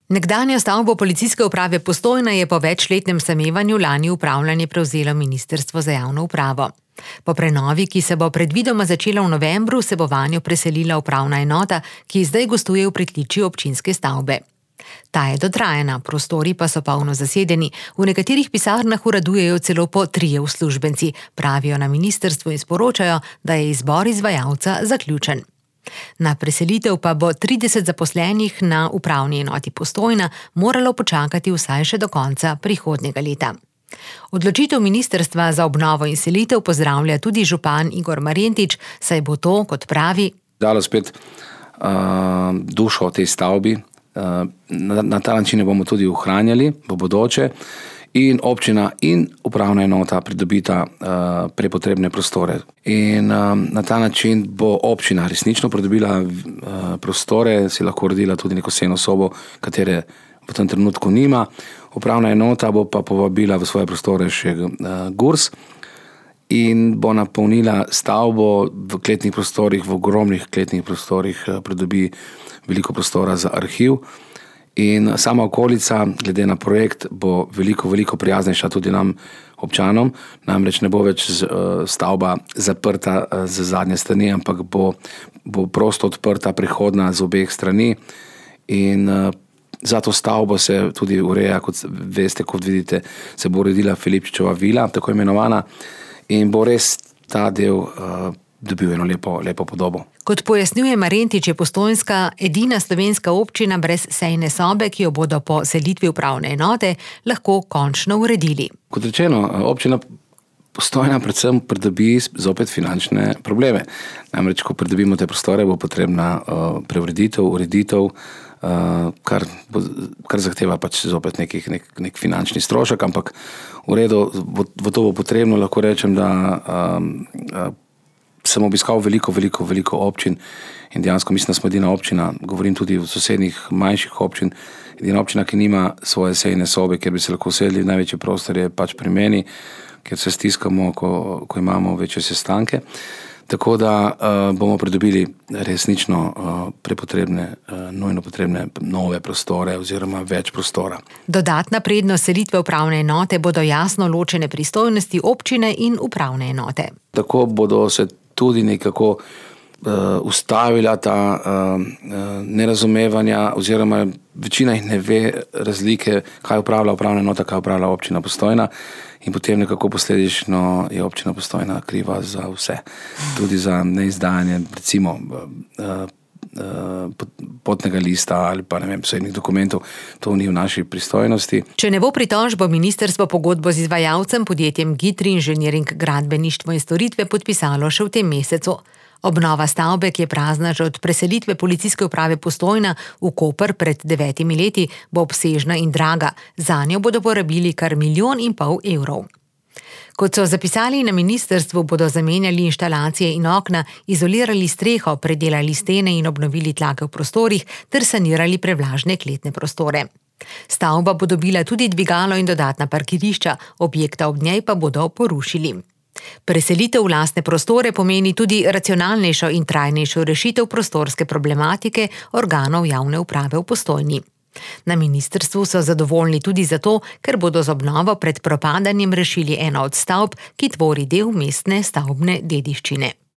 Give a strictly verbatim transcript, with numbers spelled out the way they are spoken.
Nekdanjo stavbo Policijske uprave Postojna je po večletnem samevanju lani upravljanje prevzelo Ministrstvo za javno upravo. Po prenovi, ki se bo predvidoma začela v novembru, se bo vanjo preselila upravna enota, ki zdaj gostuje v pritličju občinske stavbe. Ta je dotrajana, prostori pa so polno zasedeni, v nekaterih pisarnah uradujejo celo po trije uslužbenci, pravijo na ministrstvu in sporočajo, da je izbor izvajalca zaključen. Na preselitev pa bo trideset zaposlenih na upravni enoti Postojna moralo počakati vsaj še do konca prihodnjega leta. Odločitev ministrstva za obnovo in selitev pozdravlja tudi župan Igor Marjentič, saj bo to, kot pravi, dalo spet uh, dušo tej stavbi. Uh, na, na ta način bomo tudi ohranjali v bodoče in občina in upravna enota pridobita uh, prepotrebne prostore. In uh, na ta način bo občina resnično pridobila uh, prostore, si lahko uredila tudi neko sejno sobo, katere v tem trenutku nima. Upravna enota bo pa povabila v svoje prostore še uh, Gurs in bo napolnila stavbo v kletnih prostorih, v ogromnih kletnih prostorih, uh, pridobi veliko prostora za arhiv. In sama okolica, glede na projekt, bo veliko, veliko prijaznejša tudi nam občanom. Namreč ne bo več stavba zaprta z zadnje strani, ampak bo, bo prosto odprta, prehodna z obeh strani. In za to stavbo se tudi ureja, kot veste, kot vidite, se bo uredila Filipčičeva vila, tako imenovana, in bo res ta del uh, dobil eno lepo, lepo podobo. Kot pojasnjuje Marjentič, je Postojnska edina slovenska občina brez sejne sobe, ki jo bodo po selitvi upravne enote lahko končno uredili. Kot rečeno, občina Postojna predvsem pridobi zopet finančne probleme. Namreč, ko pridobimo te prostore, bo potrebna uh, preureditev, ureditev, uh, kar, bo, kar zahteva pač zopet nekih, nek, nek finančni strošek, ampak v redu, v, v to bo potrebno, lahko rečem, da um, uh, sem obiskal veliko, veliko, veliko občin in dejansko mislim, da smo edina občina, govorim tudi v sosednjih manjših občin, edina občina, ki nima svoje sejne sobe, kjer bi se lahko usedli, največji prostor je pač pri meni, kjer se stiskamo, ko, ko imamo večje sestanke. Tako da uh, bomo pridobili resnično uh, prepotrebne, uh, nujno potrebne nove prostore oziroma več prostora. Dodatna prednost selitve upravne enote bodo jasno ločene pristojnosti občine in upravne enote. Tako bodo se tudi nekako uh, ustavila ta uh, nerazumevanja oziroma večina jih ne ve razlike, kaj upravlja upravna enota, kaj upravlja občina Postojna. In potem nekako posledično je občina Postojna kriva za vse. Tudi za neizdajanje, recimo, potnega lista ali pa ne vem, posebnih dokumentov. To ni v naši pristojnosti. Če ne bo pritožb, bo ministrstvo pogodbo z izvajalcem, podjetjem Gitri Inženiring gradbeništvo in storitve podpisalo še v tem mesecu. Obnova stavbe, ki je prazna že od preselitve Policijske uprave Postojna v Koper pred devetimi leti, bo obsežna in draga. Zanjo bodo porabili kar milijon in pol evrov. Kot so zapisali na ministrstvu, bodo zamenjali inštalacije in okna, izolirali streho, predelali stene in obnovili tlake v prostorih ter sanirali prevlažne kletne prostore. Stavba bo dobila tudi dvigalo in dodatna parkirišča, objekta ob njej pa bodo porušili. Preselitev v lastne prostore pomeni tudi racionalnejšo in trajnejšo rešitev prostorske problematike organov javne uprave v Postojni. Na ministrstvu so zadovoljni tudi zato, ker bodo z obnovo pred propadanjem rešili eno od stavb, ki tvori del mestne stavbne dediščine.